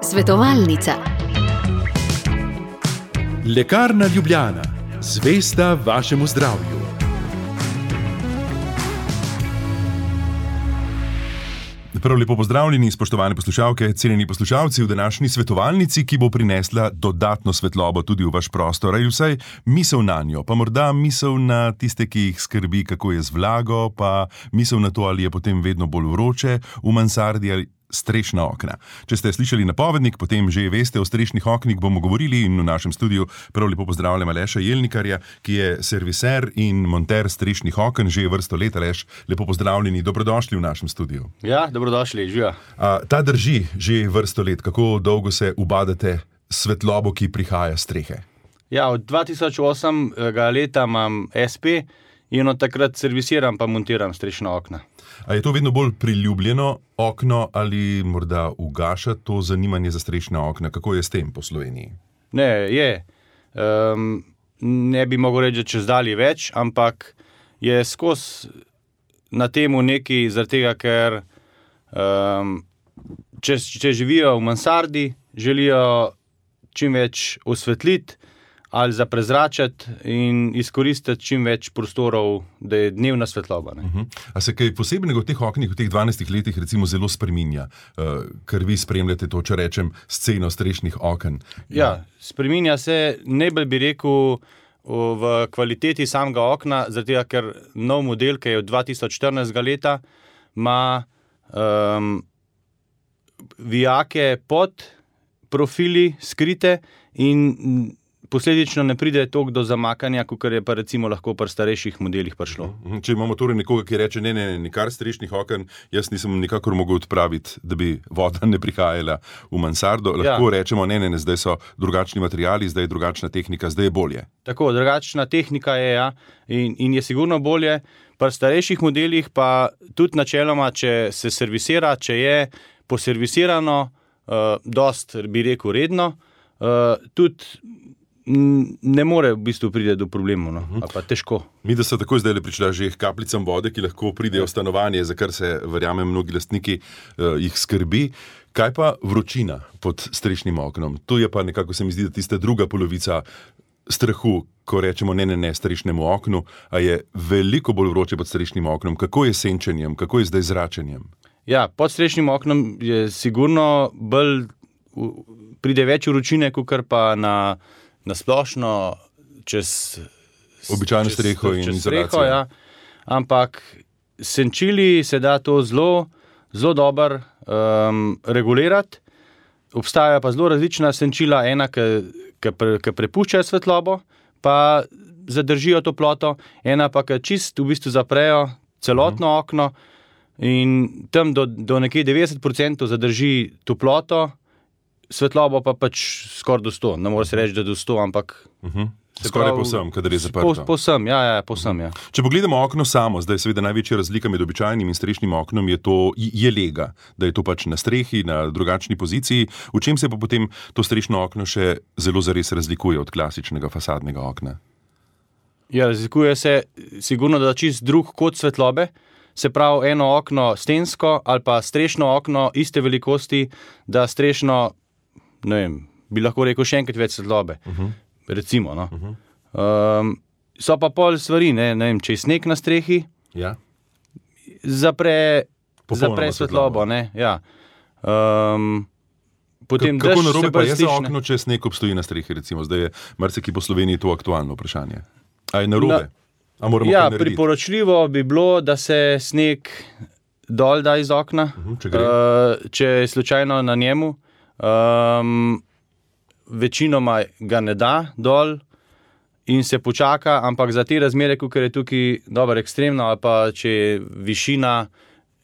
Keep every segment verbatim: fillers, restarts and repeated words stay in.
Svetovalnica. Lekarna Ljubljana, zvesta vašemu zdravju. Prav lepo pozdravljeni, spoštovane poslušalke, cenjeni poslušalci v današnji svetovalnici, ki bo prinesla dodatno svetlobo tudi v vaš prostor, ali vsaj misel na njo, pa morda misel na tiste, ki jih skrbi, kako je z vlago, pa misel na to, ali je potem vedno bolj vroče v mansardi ali strešna okna. Če ste slišali napovednik, potem že veste, o strešnih oknih bomo govorili in v našem studiu prav lepo pozdravljam Aleša Jelnikarja, ki je serviser in monter strešnih oken že vrsto let. Aleš, lepo pozdravljeni, dobrodošli v našem studiu. Ja, dobrodošli, živa. A, ta drži že vrsto let, kako dolgo se ubadate svetlobo, ki prihaja s strehe? Ja, od dva tisoč osem leta imam es pe in od takrat servisiram pa montiram strešna okna. A je to vedno bolj priljubljeno okno ali morda ugaša to zanimanje za strešna okna? Kako je s tem po Sloveniji? Ne, je. Um, ne bi mogel reči, da čez dalje več, ampak je skozi na temu neki, zaradi tega, ker um, če, če živijo v mansardi, želijo čim več osvetliti ali za prezračati in izkoristiti čim več prostorov, da je dnevna svetloba. Ne? Uh-huh. A se kaj posebnega v teh oknih, v teh dvanajstih letih recimo zelo spreminja, uh, ker vi spremljate to, če rečem, sceno strešnih oken? Ja, spreminja se, najbolj bi rekel, v kvaliteti samega okna, zaradi tega, ker nov model, ki je od dva tisoč štirinajstega leta, ima um, vijake pod profili skrite in posledično ne pride toliko do zamakanja, kot je pa recimo lahko pri starejših modelih prišlo. Če imamo torej nekoga, ki reče, ne, ne, ne, nikar strešnih oken, jaz nisem nikakor mogel odpraviti, da bi voda ne prihajala v mansardo, lahko ja. Rečemo, ne, ne, ne, zdaj so drugačni materiali, zdaj je drugačna tehnika, zdaj je bolje. Tako, drugačna tehnika je, ja, in, in je sigurno bolje. Pri starejših modelih pa tudi načeloma, če se servisira, če je poservisirano, uh, dost, bi rekel, redno, uh, tudi ne more v bistvu pride do problemov, no? Ali pa težko. Mi, da so tako zdaj prišla že kaplicam vode, ki lahko pridejo v stanovanje, za kar se, verjamem, mnogi lastniki uh, jih skrbi. Kaj pa vročina pod strešnim oknom? Tu je pa nekako, se mi zdi, da tista druga polovica strahu, ko rečemo ne, ne, ne strešnemu oknu, a je veliko bolj vroče pod strešnim oknom. Kako je s senčenjem, kako je zdaj zračenjem? Ja, pod strešnim oknom je sigurno bolj, pride več vročine, kakor pa na na splošno čez običajno streho in izolacijo. Ja. Ampak senčili se da to zelo, zelo dobro um, regulirati. Obstajajo pa zelo različna senčila, ena, ki, ki, pre, ki prepuščajo svetlobo, pa zadržijo toploto, ena pa, ki čist v bistvu zaprejo celotno uh-huh. okno in tam do, do nekje devetdeset procentov zadrži toploto, svetlobo pa pač skoraj do sto. Ne more se reči, da do sto, ampak uh-huh. skoraj povsem, kadar je zaprto. Po, povsem, ja, ja, povsem, ja. Če pogledamo okno samo, zdaj seveda največja razlika med običajnim in strešnim oknom je to, je lega, da je to pač na strehi, na drugačni poziciji. V čem se pa potem to strešno okno še zelo zares razlikuje od klasičnega fasadnega okna? Ja, razlikuje se sigurno, da čist drug kot svetlobe. Se pravi, eno okno stensko ali pa strešno okno iste velikosti, da strešno, ne vem, bi lahko rekel še enkrat več svetlobe. Uh-huh. Recimo, no. Uh-huh. Um, so pa pol stvari, ne, ne vem, če je sneg na strehi, ja. zapre, zapre svetlobo, ne, ja. Um, potem K- kako narobe pa je za stišne. okno, če sneg obstoji na strehi, recimo, zdaj je marsikje po Sloveniji to aktualno vprašanje. A je narobe? Na, A moramo ja, kaj narediti? priporočljivo bi bilo, da se sneg dol da iz okna, uh-huh, če, gre. uh, če je slučajno na njemu. Um, večinoma ga ne da dol in se počaka, ampak za te razmere, kot je tukaj dobro ekstremno, ali pa če je višina,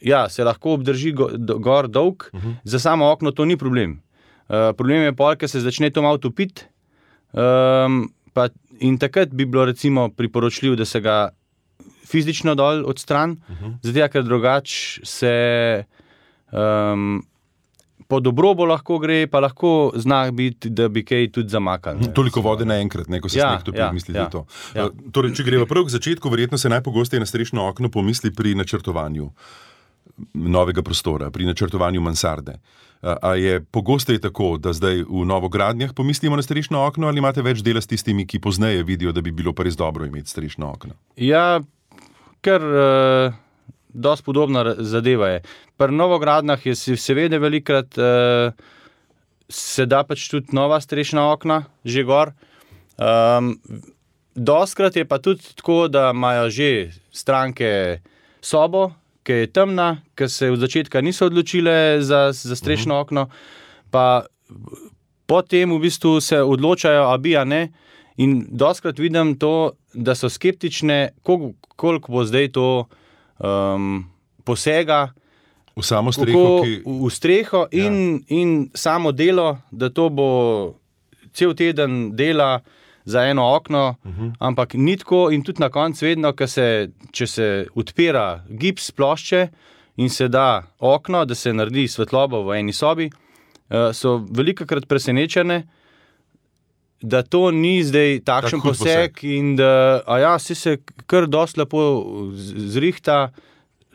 ja, se lahko obdrži go, do, gor dolg, uh-huh. Za samo okno to ni problem. Uh, problem je pol, ker se začne to malo topiti, um, pa in takrat bi bilo recimo priporočljivo, da se ga fizično dol odstran, uh-huh. Zato, ker drugače se um, po dobrobo lahko gre, pa lahko zna biti, da bi kaj tudi zamakali. Toliko vode naenkrat, ne, ko se ja, sneg topi, ja, mislite ja, to. Ja. Torej, če greva prav k začetku, verjetno se najpogosteje na strešno okno pomisli pri načrtovanju. novega prostora, pri načrtovanju mansarde. A je pogosteje tako, da zdaj v novogradnjah pomislimo na strešno okno ali imate več dela s tistimi, ki pozneje vidijo, da bi bilo pa res dobro imeti strešno okno? Ja, ker uh, dosti podobna zadeva je. Pri novogradnjah je seveda velikrat uh, se da pač tudi nova strešna okna, že gor. Um, Dostkrat je pa tudi tako, da imajo že stranke sobo, ki je temna, ki se v začetka niso odločile za, za strešno uh-huh. okno, pa potem v bistvu se odločajo, a bi, a ne. In dostkrat vidim to, da so skeptične, koliko, koliko bo zdaj to um, posega v samo streho, ki... v, v streho in, ja. in samo delo, da to bo cel teden dela za eno okno, uh-huh. ampak ni tako in tudi na koncu vedno, se, če se odpira gips plošče in se da okno, da se naredi svetlobo v eni sobi, so velikokrat presenečene, da to ni zdaj takšen poseg, poseg in da a ja, si se kar dosti lepo zrihta,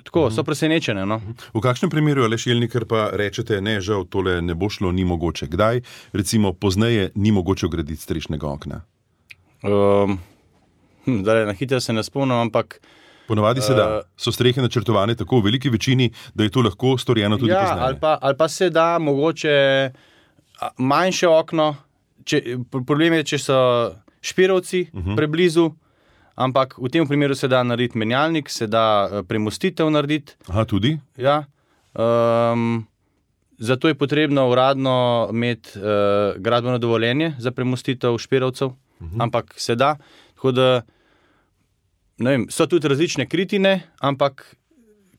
tako, uh-huh. so presenečene. No? V kakšnem primeru, Aleš Jelnikar, pa rečete, ne, žal, tole ne bo šlo, ni mogoče. Kdaj, recimo, pozneje ni mogoče vgraditi strešnega okna? Um, hm, dale, na hitro se ne spomnim, ampak ponavadi se da. So strehe načrtovane tako v veliki večini, da je to lahko storjeno tudi ja, pozneje. Ali pa, ali pa se da mogoče manjše okno, če, problem je, če so špirovci uh-huh. preblizu, ampak v tem primeru se da narediti menjalnik, se da premostitev narediti. Aha, tudi? Ja. Um, zato je potrebno uradno imeti uh, gradbeno dovoljenje za premostitev špirovcev. Uhum. Ampak se da, tako da ne vem, so tudi različne kritine, ampak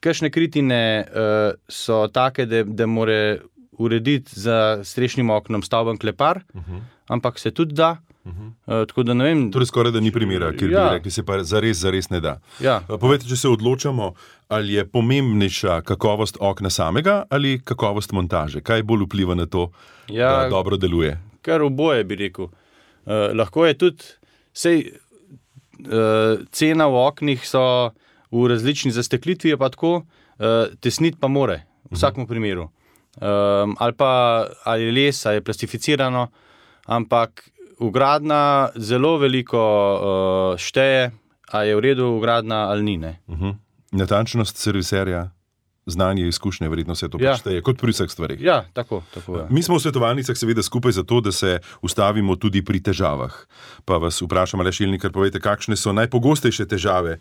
kakšne kritine uh, so take, da, da more urediti za strešnim oknom stavben klepar, uhum. ampak se tudi da. Uh, tako da ne vem. Torej skoraj da ni primera, kjer ja. bi rekli, se pa zares, zares ne da. Ja. Povejte, če se odločamo, ali je pomembnejša kakovost okna samega ali kakovost montaže? Kaj bolj vpliva na to, ja, da dobro deluje? Kar oboje bi rekel. Uh, lahko je tudi, sej, uh, cena v oknih so v različni zasteklitvi, pa tako, uh, tesniti pa more, v vsakem uh-huh. primeru. Um, ali pa ali les, ali je plastificirano, ampak vgradna zelo veliko uh, šteje, ali je v redu vgradna ali ni. Ne? Uh-huh. Natančnost serviserja, znanje, izkušnje, verjetno se to ja. Šteje, kot pri vseh stvarih. Ja, tako, tako. Ja. Mi smo v svetovalnicah seveda skupaj zato, da se ustavimo tudi pri težavah. Pa vas vprašam, Aleš Jelnikar, povejte, kakšne so najpogostejše težave,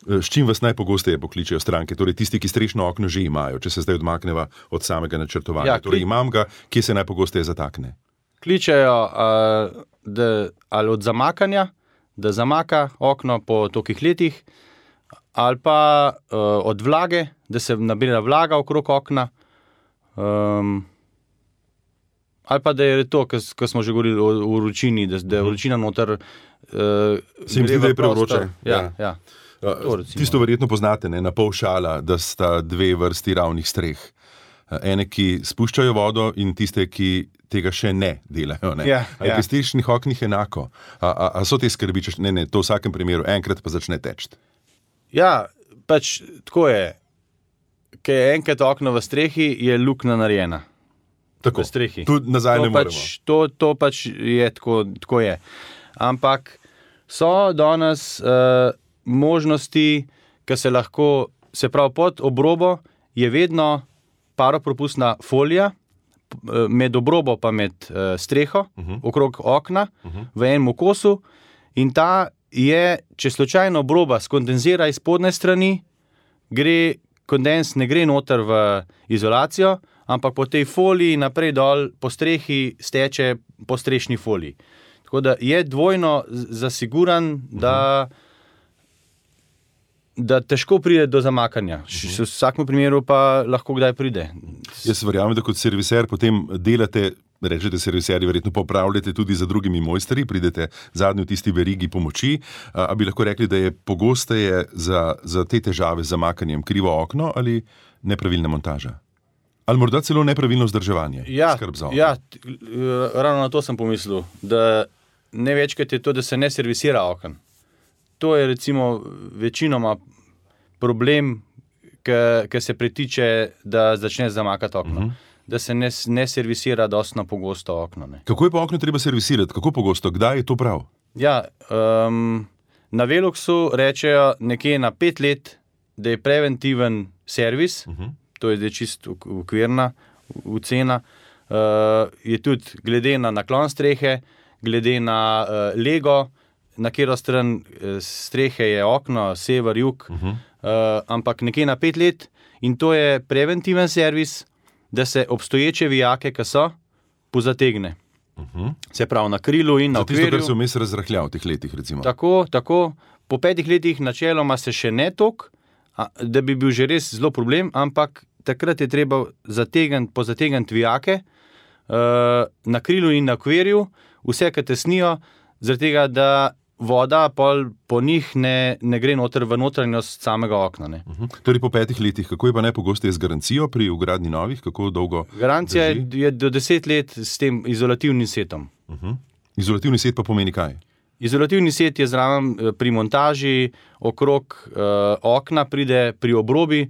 s čim vas najpogosteje pokličejo stranke, torej tisti, ki strešno okno že imajo, če se zdaj odmakneva od samega načrtovanja. Ja, torej imam ga, kje se najpogosteje zatakne? Kličejo uh, da, ali od zamakanja, da zamaka okno po tolikih letih, ali pa uh, od vlage, da se nabira vlaga okrog okna, um, ali pa da je to, ko smo že govorili o, o vročini, da, da je vročina noter. Uh, se mi zdi, da je prevroče. Ja, ja. Ja. To, tisto verjetno poznate, ne, na pol šala, da sta dve vrsti ravnih streh. Ene, ki spuščajo vodo in tiste, ki tega še ne delajo. Ne? Ja, ali ja. pri strešnih oknih enako? A, a, a so te skrbi, če ne, ne, to v vsakem primeru enkrat pa začne teči? Ja, pač tako je. Ker je enkrat okno v strehi, je luknja narejena. Tako, v strehi. Tu nazaj to ne pač, moremo. To, to pač je tako, tako je. Ampak so danes uh, možnosti, ki se lahko, se pravi pod obrobo, je vedno paropropustna folija, med obrobo pa med uh, streho, uh-huh. okrog okna, uh-huh. v enem kosu in ta je, če slučajno obroba skondenzira iz spodnje strani, gre, kondens ne gre noter v izolacijo, ampak po tej foliji naprej dol po strehi steče po strešni foliji. Tako da je dvojno zasiguran, da, da težko pride do zamakanja. V vsakem primeru pa lahko kdaj pride. Jaz verjamem, da kot serviser potem delate, rečete serviserji, verjetno popravljate tudi za drugimi mojstri, pridete zadnji v tisti verigi pomoči, a bi lahko rekli, da je pogosteje za, za te težave z zamakanjem krivo okno ali nepravilna montaža? Ali morda celo nepravilno vzdrževanje? Ja, skrb za okno? Ja, ravno na to sem pomislil, da največkrat je to, da se ne servisira okno. To je recimo večinoma problem, ki se pritiče, da začne zamakati okno. Uh-huh. Da se ne, ne servisira dosti pogosto okno. Ne. Kako je pa okno treba servisirati? Kako pogosto? Kdaj je to prav? Ja, um, na Veluxu rečejo nekje na pet let, da je preventiven servis, uh-huh. to je zdaj čist okvirna ocena, uh, je tudi glede na naklon strehe, glede na uh, lego, na katero stran uh, strehe je okno, sever, jug, uh-huh. uh, ampak nekje na pet let in to je preventiven servis, da se obstoječe vijake, ki so, pozategne. Uh-huh. Se pravi na krilu in na okvirju. Tisto, kar se vmes razrahljal v teh letih, recimo. Tako, tako. Po petih letih načeloma se še ne tok, da bi bil že res zelo problem, ampak takrat je treba zategniti, pozategniti vijake uh, na krilu in na okvirju, vse, ki tesnijo, zaradi tega, da voda pol, po njih ne, ne gre noter v notranjost samega okna. Ne. Uh-huh. Torej po petih letih, kako je pa najpogosteje z garancijo pri vgradnji novih? Kako dolgo Garancija drži? je, je do deset let s tem izolativnim setom. Uh-huh. Izolativni set pa pomeni kaj? Izolativni set je zraven pri montaži, okrog uh, okna pride pri obrobi,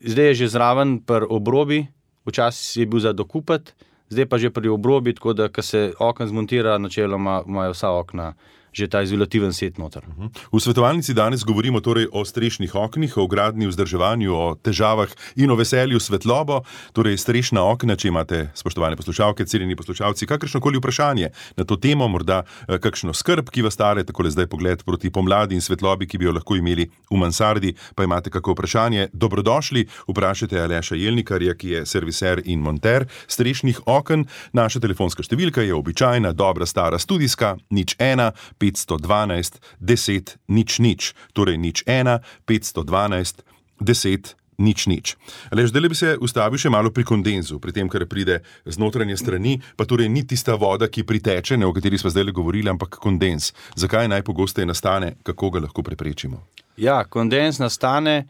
zdaj je že zraven pri obrobi, včasih je bil za dokupati, zdaj pa že pri obrobi, tako da, ko se okna zmontira, načeloma imajo vsa okna že ta izolativen set noter. V svetovalnici danes govorimo torej o strešnih oknih, o gradnji, vzdrževanju, o težavah in o veselju svetlobo, torej strešna okna, če imate, spoštovane poslušalke, cenjeni poslušalci, kakršnokoli vprašanje na to temo, morda kakšno skrb, ki vas stare, takole zdaj pogled proti pomladi in svetlobi, ki bi jo lahko imeli v mansardi, pa imate kako vprašanje, dobrodošli, vprašajte Aleša Jelnikarja, ki je serviser in monter strešnih oken. Naša telefonska številka je običajna, dobra, stara, studijska, nič ena, petsto dvanajst, deset, nič nič, torej nič ena, petsto dvanajst, deset, nič nič. Aleš, zdaj bi se ustavil še malo pri kondenzu, pri tem, kar pride z notranje strani, pa torej ni tista voda, ki priteče, ne, o kateri smo zdaj govorili, ampak kondens. Zakaj najpogosteje nastane, kako ga lahko preprečimo? Ja, kondens nastane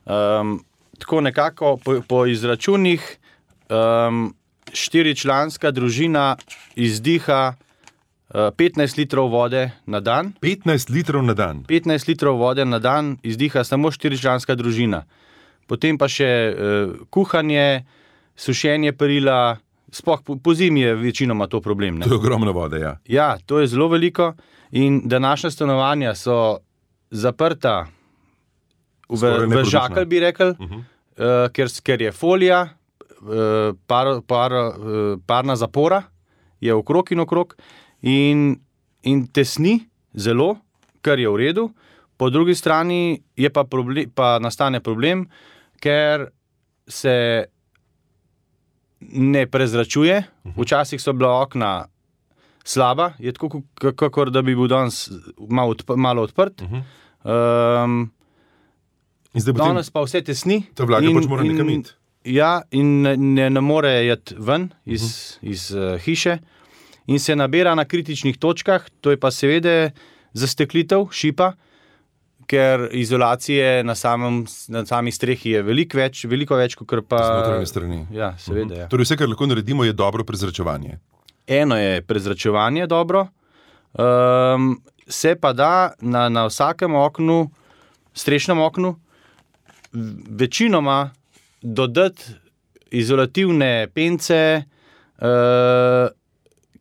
um, tako nekako po, po izračunih um, štiričlanska družina izdiha petnajst litrov vode na dan. petnajst litrov na dan? petnajst litrov vode na dan izdiha samo štiričlanska družina. Potem pa še uh, kuhanje, sušenje perila, sploh po, po zimi je večinoma to problem. Ne? To je ogromno vode, ja. Ja, to je zelo veliko in današnja stanovanja so zaprta v, v žakelj, bi rekel, uh-huh. uh, ker, ker je folija, uh, par, par, uh, parna zapora je okrog in okrog, In, in tesni zelo, kar je v redu, po drugi strani je pa, problem, pa nastane problem, ker se ne prezračuje, včasih so bila okna slaba, je tako, kakor da bi bil danes malo, odp- malo odprt. Um, danes pa vse tesni. Ta vlaga pač mora nekam iti. Ja, in ne, ne more jeti ven iz, uh-huh. iz uh, hiše. In se nabira na kritičnih točkah, to je pa seveda zasteklitev, šipa, ker izolacije na, samem, na sami strehi je veliko več, veliko več, kot pa... Z notranje strani. Ja, seveda, uh-huh. ja. Torej vse, kar lahko naredimo, je dobro prezračevanje. Eno je prezračevanje dobro, um, se pa da na, na vsakem oknu, strešnem oknu, večinoma dodati izolativne pence, uh,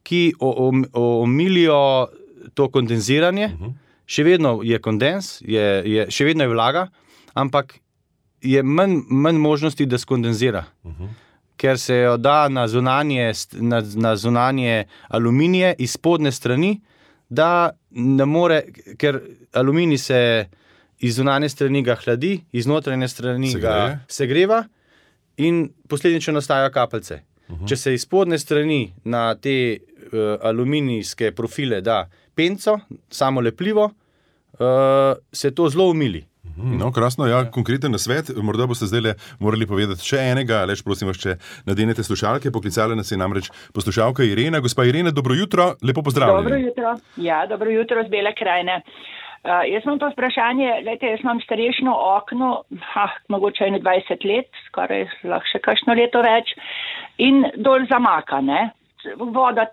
ki omilijo to kondenziranje. Uh-huh. Še vedno je kondens, je, je, še vedno je vlaga, ampak je manj, manj možnosti, da skondenzira. Uh-huh. Ker se jo da na zunanje, na, na zunanje aluminije iz spodne strani, da ne more, ker aluminij se iz zunanje strani ga hladi, iz notranje strani se ga segreva in posledično nastajajo kapljice. Uh-huh. Če se iz spodne strani na te uh, aluminijske profile da penco, samo lepljivo, uh, se to zelo umili. Uh-huh. No, krasno, ja, konkreten nasvet. Morda boste zdaj morali povedati še enega, Aleš, prosim vas, če nadenete slušalke. Poklicala nas je namreč poslušalka Irena. Gospa Irena, dobro jutro, lepo pozdravljeni. Dobro jutro, ja, dobro jutro z Bele krajine. Uh, jaz imam to vprašanje, lejte, jaz imam strešno okno, ha, mogoče ene dvajset let, skoraj lahko še kakšno leto več, in dol zamaka, ne. Voda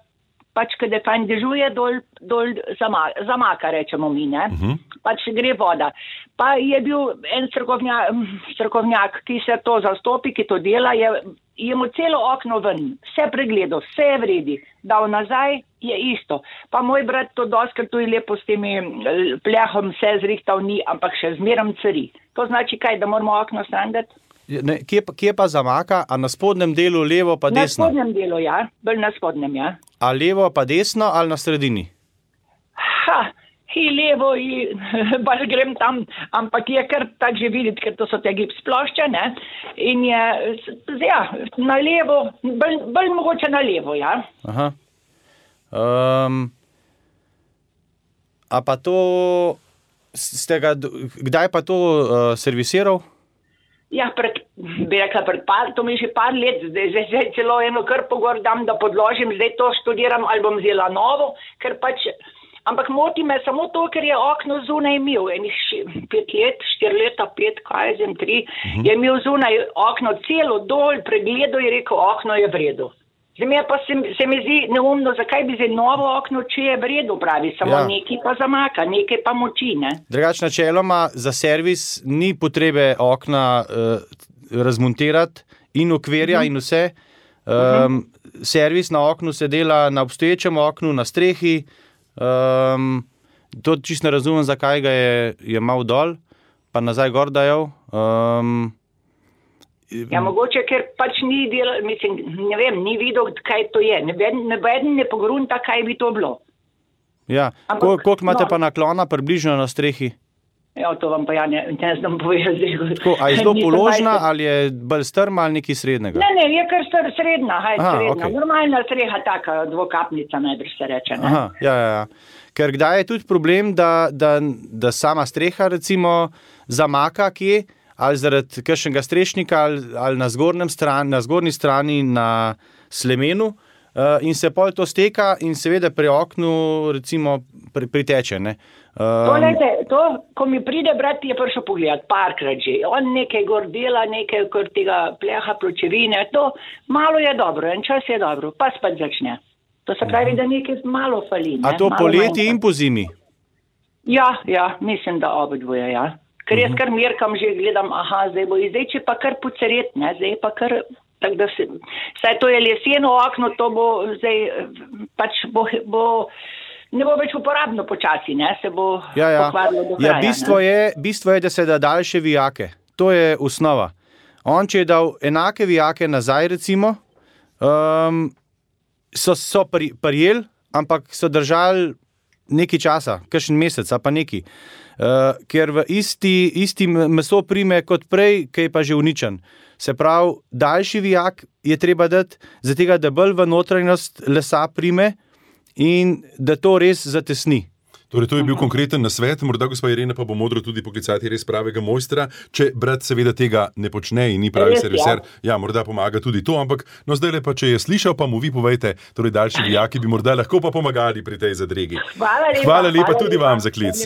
pač, kada fajn dežuje, dol, dol zamaka, zamaka, rečemo mi, ne. Uh-huh. Pač gre voda. Pa je bil en strokovnjak, strokovnjak, ki se to zastopi, ki to dela, je, je mu celo okno ven, vse pregledal, vse je vredi, dal nazaj, je isto. Pa moj brat to doskrat tu je lepo s temi plehom vse zrihtal ni, ampak še zmeram cari. To znači kaj, da moramo okno sandati? Ne, kje, kje pa zamaka, a na spodnjem delu levo pa desno? Na spodnjem delu, ja, bolj na spodnjem, ja. A levo pa desno ali na sredini? Ha, i levo, i bolj grem tam, ampak je kar tak že videti, ker to so te gips plošče, ne, in je, ja, na levo, bolj, bolj mogoče na levo, ja. Aha. Um, a pa to, ste ga, kdaj pa to uh, servisiral? Ja, pred, bi rekla, pred par, to mi je že par let, zdaj, zdaj, zdaj celo eno krpo gor dam, da podložim, zdaj to študiram ali bom vzela novo, ker pač, ampak moti me samo to, ker je okno zunaj imel, enih pet let, štiri leta, pet, kaj zem, tri, uh-huh. je imel zunaj okno celo dol, pregledal je rekel, okno je v redu. Zdaj pa se, se mi zdi neumno, zakaj bi zdaj novo okno, če je v redu, pravi, samo ja. Nekaj pa zamaka, nekaj pa moči, ne. Drugač načeloma za servis ni potrebe okna uh, razmontirati in okvirja uh-huh. in vse. Um, uh-huh. Servis na oknu se dela na obstoječem oknu, na strehi. Um, to čisto ne razumem, zakaj ga je, je mal dol, pa nazaj gor dajal. Um, Ja, mogoče, ker pač ni delal, mislim, ne vem, ni videl, kaj to je. Nebeden ne pogrunta, kaj bi to bilo. Ja, Ampak, koliko imate no. pa naklona približno na strehi? Ja, to vam pa ja ne, ne znam povedati. A je zelo položna ali je bolj strma ali nekaj srednjega? Ne, ne, je kar str, srednja, haj, Aha, srednja. Okay. Normalna streha, taka dvokapnica, najbrž se reče. Ne? Aha, ja, ja, ja. Ker kdaj je tudi problem, da, da, da sama streha recimo zamaka kje, ali zaradi kakšnega strešnika, ali, ali na, strani, na zgornji strani na slemenu uh, in se pol to steka in seveda pri oknu recimo pri, priteče. Ne? Um, to, lejte, to, ko mi pride brat, je prišel pogledat parkrat že. On nekaj gor dela, nekaj gor tega pleha, pločevine, to malo je dobro, en čas je dobro, pa spet začne. To se pravi, da nekaj malo fali. Ne? A to malo poleti manjka. In po zimi? Ja, ja, mislim, da obodvoje, ja. Ker jaz kar merkam, že gledam, aha, zdaj bo zdaj, če pa kar poceret, ne, zdaj pa kar, tak da se, saj to je leseno okno, to bo zdaj, pač bo, bo ne bo več uporabno počasi, ne, se bo ja, ja. pokvarilo do kraja. Ja, bistvo je, bistvo je, da se da daljše vijake, to je osnova. On, če je dal enake vijake nazaj, recimo, um, so, so prijel, ampak so držali nekaj časa, kakšen mesec, a pa nekaj. Uh, ker v isti, isti meso prime kot prej, ki je pa že uničen. Se pravi, daljši vijak je treba dati, zato da bolj v notranjost lesa prime in da to res zatesni. Torej, to je bil konkreten nasvet, morda gospa Irena pa bo modro tudi poklicati res pravega mojstra, če brat seveda tega ne počne in ni pravi serviser, ja, morda pomaga tudi to, ampak no zdaj pa, če je slišal, pa mu vi povejte, torej daljši vijaki bi morda lahko pa pomagali pri tej zadregi. Hvala lepa, hvala lepa hvala tudi lepa, vam za klic.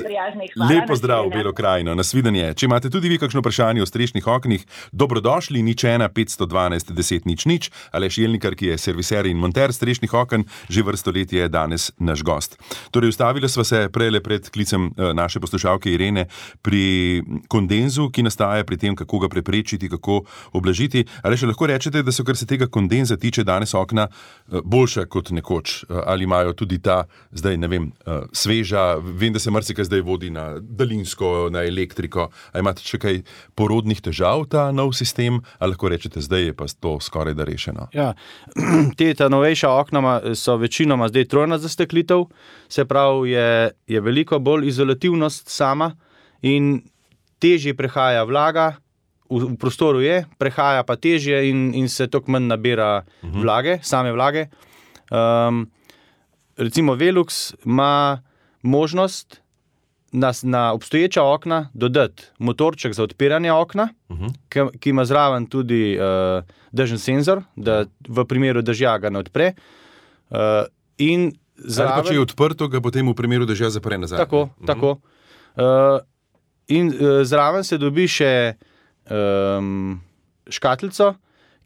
Lep pozdrav v Belo krajino, nasvidenje. Če imate tudi vi kakšno vprašanje o strešnih oknih, dobrodošli, nič ena petsto dvanajst deset nič nič, Aleš Jelnikar, ki je serviser in monter strešnih oken, že vrsto let je danes naš gost. Torej, ustavili sva se prejle pred klicem naše poslušalke Irene pri kondenzu, ki nastaja pri tem, kako ga preprečiti, kako oblažiti. Ali še lahko rečete, da so, kar se tega kondenza tiče, danes okna boljša kot nekoč? Ali imajo tudi ta, zdaj ne vem, sveža, vem, da se marsikaj zdaj vodi na daljinsko, na elektriko. Ali imate še kaj porodnih težav ta nov sistem? Ali lahko rečete, zdaj je pa to skoraj da rešeno? Ja, te ta novejša okna so večinoma zdaj trojna zasteklitev, se pravi, je, je veliko bolj izolativnost sama in težje prehaja vlaga, v, v prostoru je, prehaja pa težje in, in se toliko manj nabira uh-huh. vlage, same vlage. Um, recimo Velux ima možnost na, na obstoječa okna dodati motorček za odpiranje okna, uh-huh. ki, ki ima zraven tudi uh, dežen senzor, da v primeru dežja ga ne odpre. Uh, in Zraven, ali pa če je odprto, ga potem v primeru dežja zapre nazaj. Tako, uh-huh. tako. Uh, in uh, zraven se dobi še um, škatlico,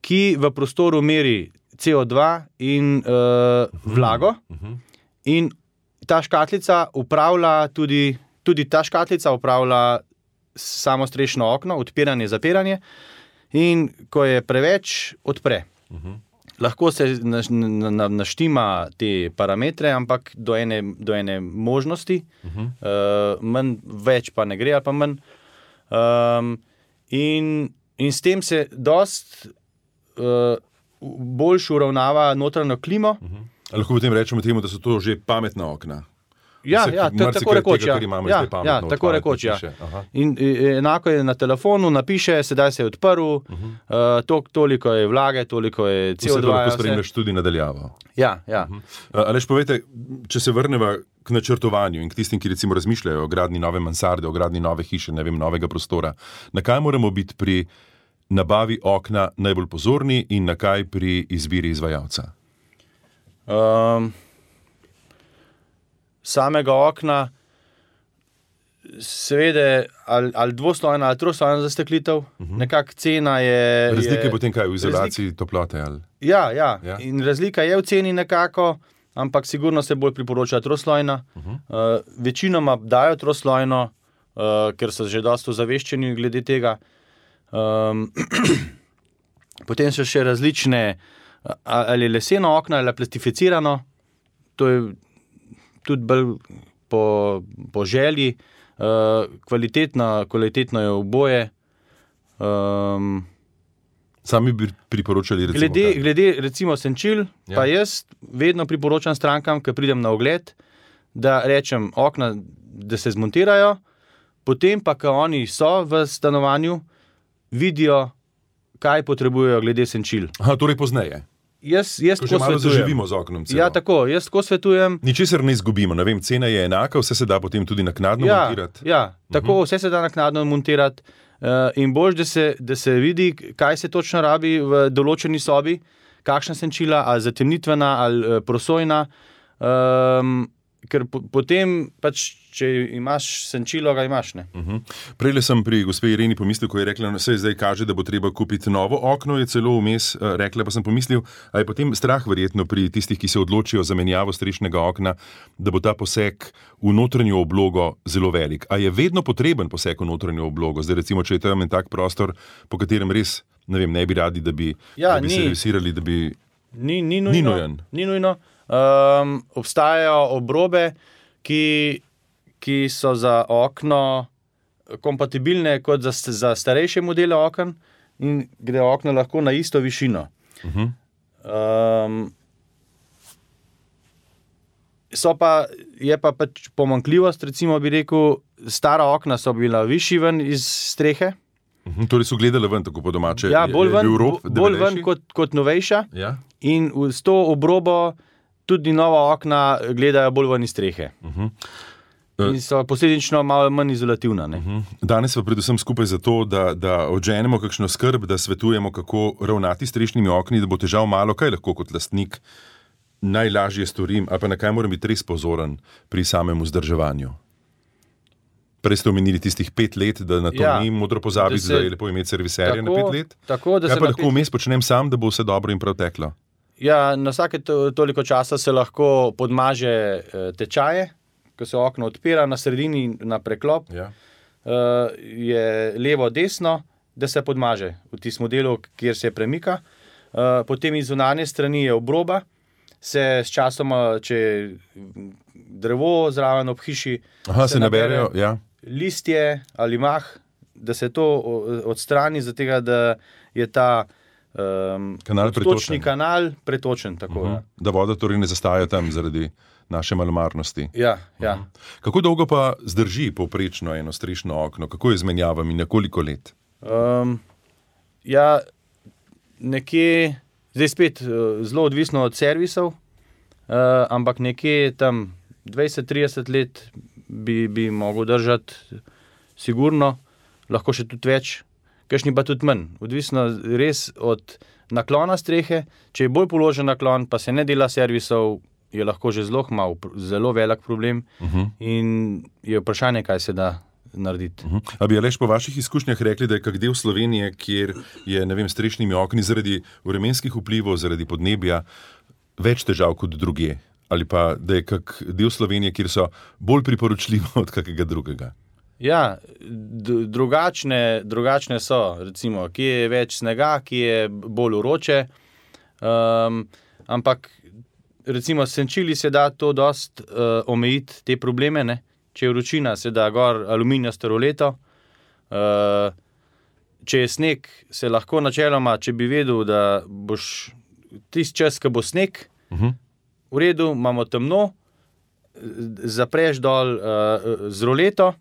ki v prostoru meri C O dva in uh, vlago. Uh-huh. In ta škatlica upravlja tudi, tudi ta škatlica upravlja samostrešno okno, odpiranje, zapiranje. In ko je preveč, odpre. Uh-huh. Lahko se naš, na, na, naštima te parametre, ampak do ene, do ene možnosti, uh-huh. uh, manj, več pa ne gre, ali pa manj. Um, in, in s tem se dost uh, boljš uravnava notranjo klimo. Uh-huh. Lahko potem rečemo temu, da so to že pametna okna. Ja, ja, tako rekoč, ja. Ja, ja, tako rekoč, ja. In enako je na telefonu, napiše, sedaj se je odprl, uh-huh. uh, to, toliko je vlage, toliko je C O dva. Vse to lahko spremljaš tudi nadaljavo. Ja, ja. Uh-huh. uh, Aleš, povejte, če se vrneva k načrtovanju in k tistim, ki recimo razmišljajo o gradni nove mansarde, o gradni nove hiše, ne vem, novega prostora, na kaj moramo biti pri nabavi okna najbolj pozorni in na kaj pri izbiri izvajalca? Um, samega okna, seveda, ali, ali dvoslojna ali troslojna zasteklitev, uh-huh. nekak cena je... Razlika je potem kaj, v izolaciji razlik... toplote? Ali... Ja, ja, ja, in razlika je v ceni nekako, ampak sigurno se bolj priporoča troslojna. Uh-huh. Uh, večinoma dajo troslojno, uh, ker so že dosto zaveščeni glede tega. Um, potem so še različne, ali leseno okno, ali plastificirano, to je tudi bolj po, po želji, uh, kvalitetno, kvalitetno je oboje. Um, Sami bi priporočali recimo glede, glede recimo senčil, ja. Pa jaz vedno priporočam strankam, ko pridem na ogled, da rečem okna, da se zmontirajo, potem pa, ko oni so v stanovanju, vidijo, kaj potrebujejo glede senčil. Aha, torej pozneje. Jaz, jaz ko že malo zaživimo z oknom. Celo. Ja, tako, jaz tako svetujem. Ničesar ne izgubimo, ne vem, cena je enaka, vse se da potem tudi naknadno ja, montirati. Ja, tako, uh-huh. vse se da naknadno montirati uh, in boš, da se, da se vidi, kaj se točno rabi v določeni sobi, kakšna senčila, ali zatemnitvena, ali uh, prosojna, um, ker po, potem pač, če imaš senčilo, ga imaš, ne. Uh-huh. Prejle sem pri gospe Ireni pomislil, ko je rekla, da se zdaj kaže, da bo treba kupiti novo okno, je celo vmes uh, rekla, pa sem pomislil, a je potem strah verjetno pri tistih, ki se odločijo za menjavo strešnega okna, da bo ta poseg v notranjo oblogo zelo velik. A je vedno potreben poseg v notranjo oblogo? Zdaj recimo, če je tam en tak prostor, po katerem res, ne vem, ne bi radi, da bi, ja, da bi servisirali, da bi... Ni, ni nujno. Ni nujen. Ni nujno. Um, obstajajo obrobe, ki, ki so za okno kompatibilne kot za, za starejše modele okn in gre okno lahko na isto višino. Uh-huh. Um, so pa, je pa pač pomanjkljivost, recimo bi rekel, stara okna so bila višji ven iz strehe. Uh-huh. Torej so gledali ven, tako po domače. Ja, bolj ven, rob, bolj ven kot, kot novejša. Ja. In s to obrobo tudi nova okna gledajo bolj ven iz strehe. Uh-huh. In so posledično malo manj izolativna. Ne? Uh-huh. Danes pa predvsem skupaj zato, da, da odženemo kakšno skrb, da svetujemo, kako ravnati s strešnimi okni, da bo težav malo, kaj lahko kot lastnik najlažje storim, ali pa na kaj moram biti res pozoren pri samem vzdrževanju. Prej ste omenili tistih pet let, da na to ja, ni modro pozabiti, da, se, da je lepo imeti serviserja na pet let. Tako, da kaj pa lahko vmes pet... počnem sam, da bo vse dobro in prav teklo? Ja, na vsake to, toliko časa se lahko podmaže e, tečaje, ko se okno odpira na sredini na preklop, ja. e, je levo-desno, da se podmaže v tistem modelu, kjer se premika. E, potem iz zunanje strani je obroba, se s časoma, če drevo zraven ob hiši, Aha, se, se naberejo, ja. listje ali mah, da se to odstrani, zato da je ta um, kanal točni kanal pretočen. Tako, uh-huh. ja. Da voda torej ne zastaja tam zaradi naše malomarnosti. Ja, ja. Uh-huh. Kako dolgo pa zdrži povprečno eno strešno okno? Kako je z menjavami? Na koliko let? Um, ja, nekje, zdaj spet zelo odvisno od servisov, uh, ampak nekje tam dvajset trideset let bi, bi mogel držati sigurno, lahko še tudi več, kakšni pa tudi manj. Odvisno res od naklona strehe, če je bolj položen naklon, pa se ne dela servisov, je lahko že zelo mal, zelo velik problem uh-huh. in je vprašanje, kaj se da narediti. Uh -huh. A bi Aleš po vaših izkušnjah rekli, da je kak del Slovenije, kjer je, ne vem, strešnimi okni zaradi vremenskih vplivov, zaradi podnebja več težav kot drugje? Ali pa da je kak del Slovenije, kjer so bolj priporočljivo od kakega drugega? Ja, drugačne, drugačne so, recimo, kje je več snega, kje je bolj vroče, um, ampak recimo senčili se da to dost uh, omejiti te probleme, ne? Če je vročina, se da gor aluminijasto roleto, uh, če je sneg, se lahko načeloma, če bi vedel, da boš tisti čas, ko bo sneg, uh -huh. v redu, imamo temno, zapreš dol uh, z roleto,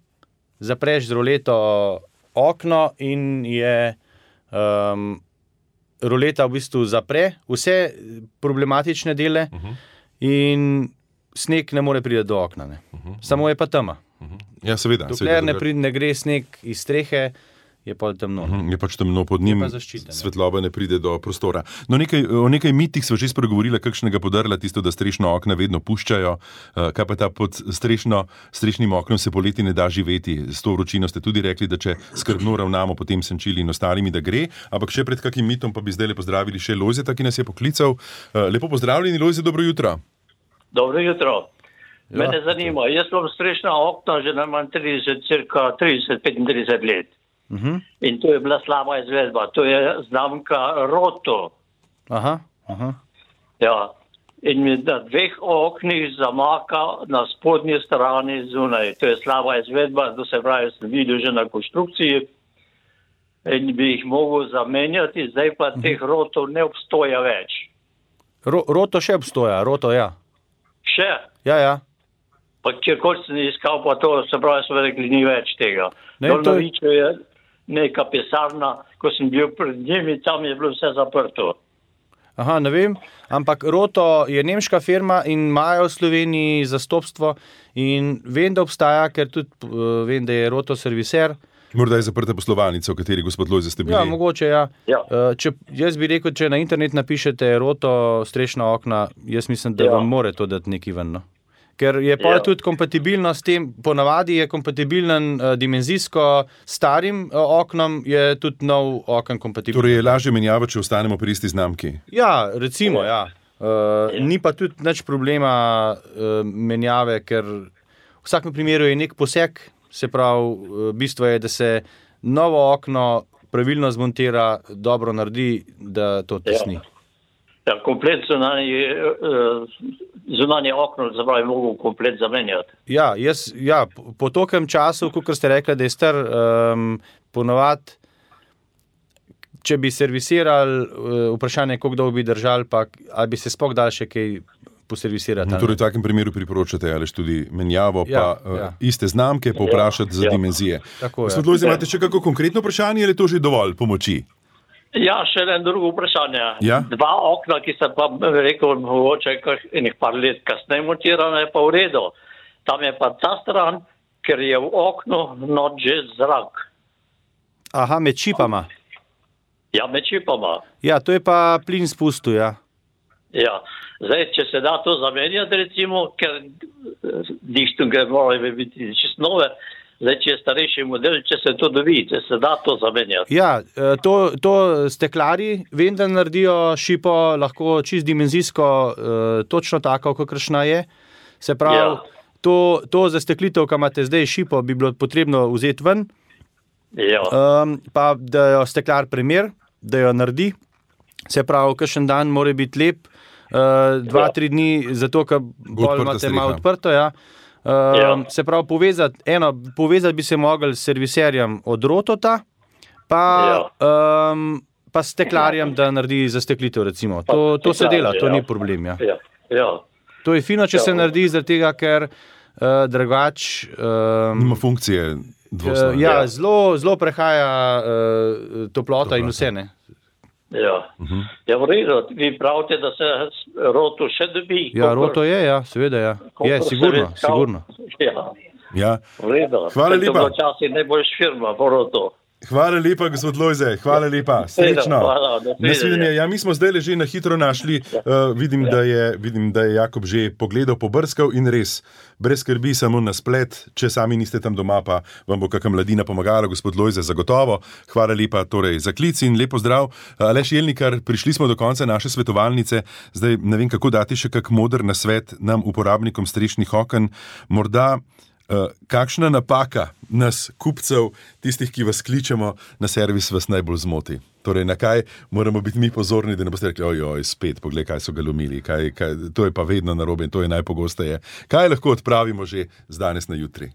zapreš z roleto okno in je um, roleta v bistvu zapre vse problematične dele uh-huh. in sneg ne more priti do okna. Ne. Uh-huh. Samo je pa tema. Uh-huh. Ja, seveda. Dokler ne, pride, ne gre sneg iz strehe, je pa temno. Uh-huh. Je pač temno pod njim, svetloba ne pride do prostora. No, nekaj, o nekaj mitih sva že spregovorila, kakšnega podrla, tisto, da strešno okna vedno puščajo. Uh, kaj pa ta pod strešno, strešnim oknom se poleti ne da živeti? S to vročino ste tudi rekli, da če skrbno ravnamo potem senčili in ostalimi, da gre. Ampak še pred kakim mitom pa bi zdaj le pozdravili še Lojzeta, ki nas je poklical. Uh, lepo pozdravljeni, Lojzet, dobro jutro. Dobro jutro. Ja. Mene zanima, jaz imam strešna okna že najmanj trideset, cirka trideset, petintrideset let. Uh-huh. In to je bila slaba izvedba. To je znamka Roto. Aha, aha. Ja. In mi na dveh oknih zamaka na spodnji strani zunaj. To je slaba izvedba, to se pravi, sem videl že na konstrukciji in bi jih mogel zamenjati, zdaj pa uh-huh. teh Rotov ne obstoja več. Ro, roto še obstoja, Roto, ja. Še? Ja, ja. Pa kjerkoli sem iskal, pa to se pravi, so rekli, ni več tega. Ne, Dol to na Viču je neka pisarna, ko sem bil pred njimi, tam je bilo vse zaprto. Aha, ne vem, ampak Roto je nemška firma in imajo v Sloveniji zastopstvo in vem, da obstaja, ker tudi uh, vem, da je Roto serviser. Morda je zaprta poslovalnica, v kateri gospod Lojzet ste bili. Ja, mogoče, ja. ja. Uh, če, jaz bi rekel, če na internet napišete Roto strešna okna, jaz mislim, da ja. vam more to dati neki ven, no? Ker je pa ja. tudi kompatibilno s tem, ponavadi je kompatibilen uh, dimenzijsko starim uh, oknom, je tudi nov okn kompatibilen. Torej je lažje menjava, če ostanemo pri isti znamki. Ja, recimo, ja. Uh, ja. Ni pa tudi nič problema uh, menjave, ker v vsakem primeru je nek poseg, se pravi, uh, bistvo je, da se novo okno pravilno zmontira, dobro naredi, da to tesni. Ja. Ja, komplet zunanje, zunanje okno, zapravi, mogo komplet zamenjati. Ja, jaz, ja, po tokem času, kot ste rekli, da je star, um, ponovadi, če bi servisirali, uh, vprašanje, koliko dolgo bi držali, pa ali bi se sploh dal še kaj poservisirati. Torej v takem primeru priporočate, ali tudi menjavo, ja, pa uh, ja. iste znamke, pa vprašati ja, za ja. dimenzije. Tako, Gospod Lojzet, imate še kako konkretno vprašanje, ali je to že dovolj pomoči? Ja, še en drugo vprašanje. Ja? Dva okna, ki sem pa rekel, mogoče enih par let kasneje montirana, je pa v redu. Tam je pa ta stran, ker je v oknu not že zrak. Aha, med čipama. Ja, med čipama. Ja, to je pa plin spustil, ja. Ja, zdaj, če se da to zamenjati, recimo, ker dištunge morajo biti čisto nove, zdaj, če je starejši model, če se to dobi, če se da to zamenjati. Ja, to, to steklari vem, da naredijo šipo lahko čist dimenzijsko, uh, točno tako, kakršna je. Se pravi, ja. to, to zasteklitev, ki imate zdaj šipo, bi bilo potrebno vzeti ven, ja. um, pa da jo steklar primer, da jo naredi. Se pravi, kakšen dan mora biti lep, uh, dva, ja. tri dni, zato, ker bolj imate malo odprto, ja. Uh, ja. Se pravi, povezati, eno, povezati bi se mogli s serviserjem od Rotota, pa, ja. um, pa s steklarjem, da naredi zasteklitev, recimo. To, to se dela, to ja. ni problem. Ja. Ja. Ja. To je fino, če ja. se naredi, zaradi tega, ker uh, drugač... Um, Nima funkcije dvoslojne. Uh, ja, ja. Zelo, zelo prehaja uh, toplota Dobro. in vse, ne. Ja, uh-huh. ja v redu, vi pravite, da se Roto še dobi. Ja, Roto je, ja, seveda, ja. Je, sigurno, sigurno. Ja, ja. v redu. Hvala lepa. To bo časi najboljš firma v Roto. Hvala lepa, gospod Lojze, hvala lepa, srečno. Hvala, nasvidenje. Ja, mi smo zdaj že na hitro našli, uh, vidim, da je, vidim, da je Jakob že pogledal, pobrskal in res, brez skrbi, samo na splet, če sami niste tam doma, pa vam bo kakšna mladina pomagala, gospod Lojze, zagotovo. Hvala lepa torej za klic in lepo zdrav. Aleš Jelnikar, prišli smo do konca naše svetovalnice, zdaj ne vem, kako dati še kak moder nasvet nam, uporabnikom strešnih oken, morda Uh, kakšna napaka nas, kupcev, tistih, ki vas kličemo na servis, vas najbolj zmoti? Torej, na kaj moramo biti mi pozorni, da ne boste rekli, ojoj, spet, poglej, kaj so ga lomili, kaj, kaj, to je pa vedno narobe in to je najpogosteje. Kaj lahko odpravimo že z danes na jutri?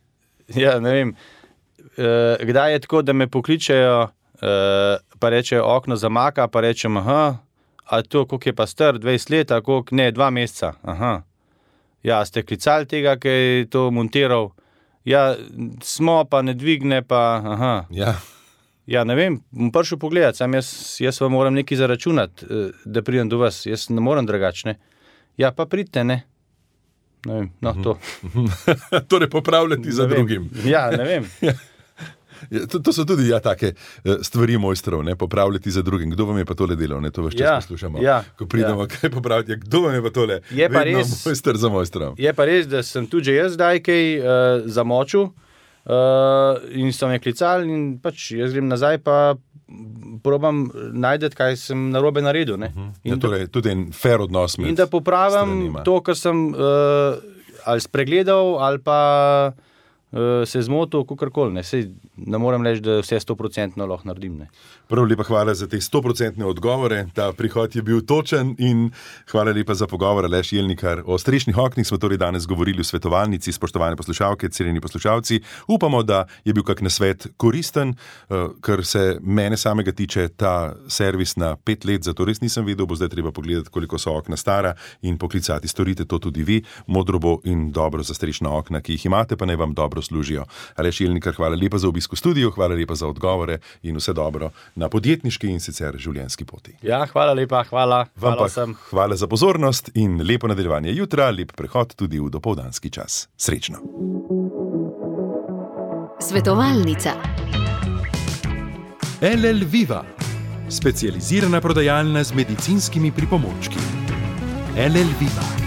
Ja, ne vem. E, kdaj je tako, da me pokličejo, e, pa rečejo, okno zamaka, pa rečem, aha, a to, koliko je pa star, dvajset let, a koliko, ne, dva meseca, aha. Ja, ste klicali tega, ki je to montiral? Ja, smo, pa ne dvigne, pa aha. Ja. Ja, ne vem, bom prišel pogledat, sam jaz, jaz vam moram nekaj zaračunati, da pridem do vas, jaz ne moram drugačne. Ja, pa pridite, ne. Ne vem, no, to. Torej, popravljati za drugim. Ja, ne vem. Ja, to, to so tudi ja, take stvari mojstrov, ne, popravljati za drugim. Kdo vam je pa tole delal, ne, to veš čas ja, poslušamo, ja, ko pridemo, ja. Kaj popraviti, ja, kdo vam je pa tole je pa vedno res, mojster za mojstrom. Je pa res, da sem tudi že jaz zdaj kaj uh, zamočil uh, in so me klicali in pač jaz grem nazaj pa probam najdeti, kaj sem narobe naredil. Ne. Uh-huh. Ja, torej, tudi en fair odnos med in da popravim stranima. To, kar sem uh, ali spregledal ali pa uh, se zmotil, kakorkoli. Ne. Sej ne morem reči, da vse sto procentno lahko naredim. Ne. Prav lepa hvala za te sto procentne odgovore. Ta prihod je bil točen in hvala lepa za pogovor, Aleš Jelnikar. O strešnih oknih smo torej danes govorili v svetovalnici, spoštovane poslušalke, cenjeni poslušalci. Upamo, da je bil kak nasvet koristen, kar se mene samega tiče, ta servis na pet let, zato res nisem vedel, bo zdaj treba pogledati, koliko so okna stara in poklicati. Storite to tudi vi, modro bo in dobro za strešna okna, ki jih imate, pa naj vam dobro služijo. Aleš Jelnikar, hvala lepa za obisk v studiu, hvala lepa za odgovore in vse dobro na podjetniški in sicer življenjski poti. Ja, hvala lepa, hvala. Vam hvala pa vsem. Hvala za pozornost in lepo nadaljevanje jutra, lep prehod tudi v dopoldanski čas. Srečno. Svetovalnica. L L Viva, specializirana prodajalna z medicinskimi pripomočki. L L Viva.